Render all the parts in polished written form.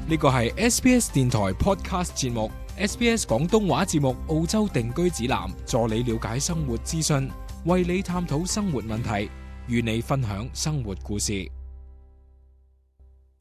呢個係 SBS 電台 Podcast 節目 SBS 廣東話節目澳洲定居指南，助你了解生活資訊，為你探討生活問題，與你分享生活故事。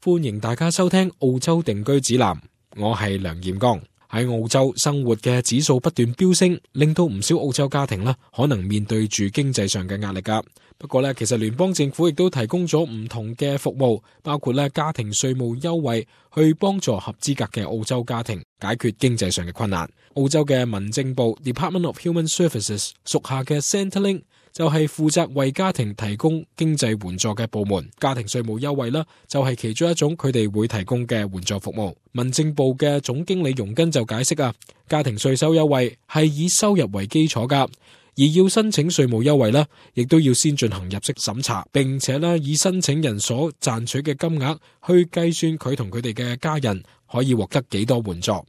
歡迎大家收聽澳洲定居指南，我係梁彥剛。喺澳洲生活嘅指數不斷飆升，令到唔少澳洲家庭可能面對住經濟上嘅壓力㗎。不過其實聯邦政府亦都提供咗唔同嘅服務，包括家庭稅務優惠，去幫助合資格嘅澳洲家庭解決經濟上嘅困難。澳洲嘅民政部 Department of Human Services 屬下嘅 Centrelink 就係負責為家庭提供經濟援助嘅部門，家庭稅務優惠就係其中一種佢哋會提供嘅援助服務。民政部嘅總經理容根就解釋家庭稅收優惠係以收入為基礎㗎，而要申請稅務優惠亦都要先進行入息審查，並且以申請人所賺取嘅金額去計算佢同佢哋嘅家人可以獲得幾多援助。而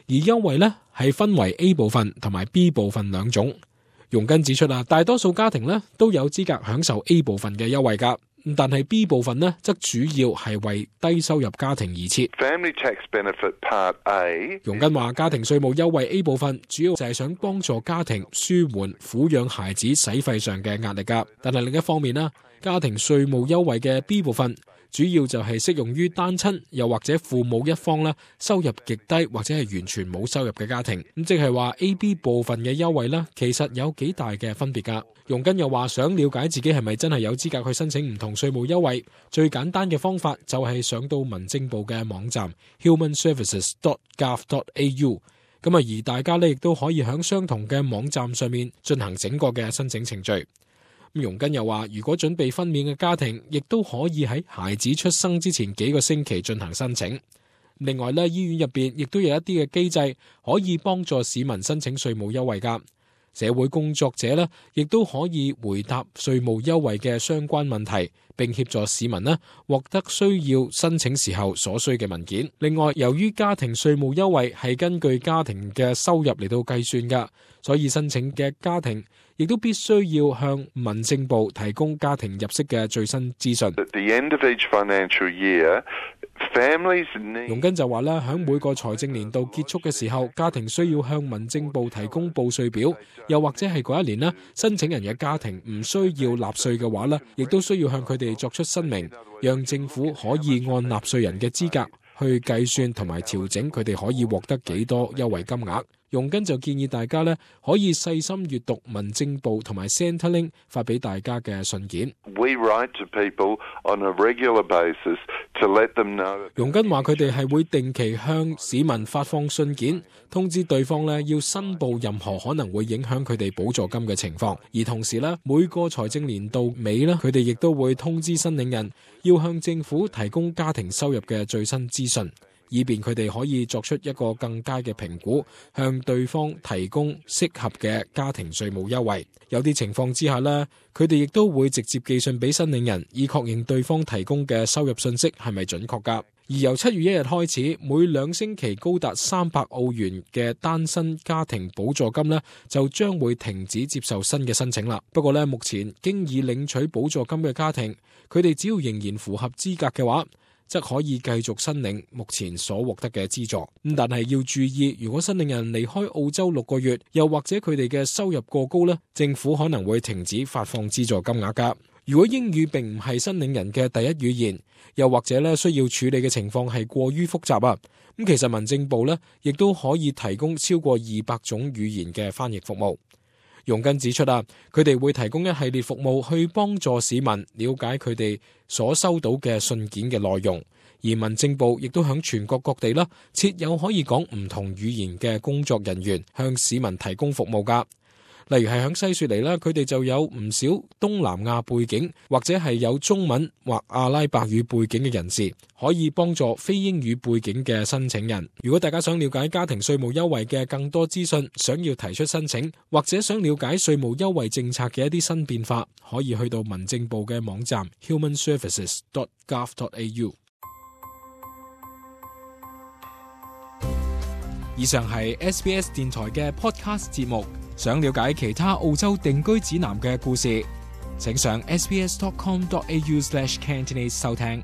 優惠係分為 A 部分同埋 B 部分兩種。容根指出大多數家庭都有資格享受 A 部分嘅優惠㗎，但係 B 部分則主要係為低收入家庭而設。Family tax benefit Part A， 容根話家庭稅務優惠 A 部分主要就係想幫助家庭舒緩撫養孩子使費上嘅壓力㗎，但係另一方面家庭稅務優惠嘅 B 部分主要就係適用於單親又或者父母一方收入極低或者係完全冇收入嘅家庭。咁即係話 A、B 部分嘅優惠其實有幾大嘅分別㗎。容根又話想了解自己係咪真係有資格去申請唔同稅務優惠，最簡單嘅方法就係上到民政部嘅網站 humanservices.gov.au。而大家亦都可以喺相同嘅網站上面進行整個嘅申請程序。容根又話，如果準備分娩嘅家庭，亦都可以喺孩子出生之前幾個星期進行申請。另外醫院入邊亦都有一啲嘅機制可以幫助市民申請稅務優惠㗎。社會工作者亦都可以回答稅務優惠嘅相關問題，並協助市民獲得需要申請時候所需嘅文件。另外，由於家庭稅務優惠係根據家庭嘅收入嚟到計算㗎，所以申請嘅家庭亦都必須要向民政部提供家庭入息嘅最新資訊。At the end of each financial year, families need... 容根就話喺每個財政年度結束嘅時候，家庭需要向民政部提供報稅表，又或者係嗰一年申請人嘅家庭唔需要納稅嘅話亦都需要向佢哋作出申明，讓政府可以按納稅人嘅資格去計算同埋調整佢哋可以獲得幾多優惠金額。容根就建議大家可以細心閱讀民政部同埋 Centrelink 發俾大家嘅信件。We write to people on a regular basis to let them know. 容根話佢哋係會定期向市民發放信件，通知對方要申報任何可能會影響佢哋補助金嘅情況。而同時每個財政年度尾佢哋亦都會通知申領人要向政府提供家庭收入嘅最新資訊，以便佢哋可以作出一個更佳嘅評估，向對方提供適合嘅家庭稅務優惠。有啲情況之下佢哋亦都會直接寄信俾申領人，以確認對方提供嘅收入信息係咪準確㗎。而由7月1日開始，每2星期高達300澳元嘅單身家庭補助金就將會停止接受新嘅申請啦。不過目前經已領取補助金嘅家庭，佢哋只要仍然符合資格嘅話，則可以繼續申領目前所獲得嘅資助。但係要注意，如果申領人離開澳洲6個月，又或者佢哋嘅收入過高政府可能會停止發放資助金額㗎。如果英語並唔係申領人嘅第一語言，又或者需要處理嘅情況係過於複雜咁其實民政部亦都可以提供超過200種語言嘅翻譯服務。容根指出佢哋會提供一系列服務去幫助市民了解佢哋所收到嘅信件嘅內容，而民政部亦都響全國各地設有可以講唔同語言嘅工作人員向市民提供服務㗎。例如係響西雪梨佢哋就有唔少東南亞背景或者係有中文或阿拉伯語背景嘅人士，可以幫助非英語背景嘅申請人。如果大家想了解家庭稅務優惠嘅更多資訊，想要提出申請，或者想了解稅務優惠政策嘅一啲新變化，可以去到民政部嘅網站 humanservices.gov.au。以上係 SBS 電台嘅 Podcast 節目。想了解其他澳洲定居指南嘅故事，請上 sbs.com.au/Cantonese 收聽。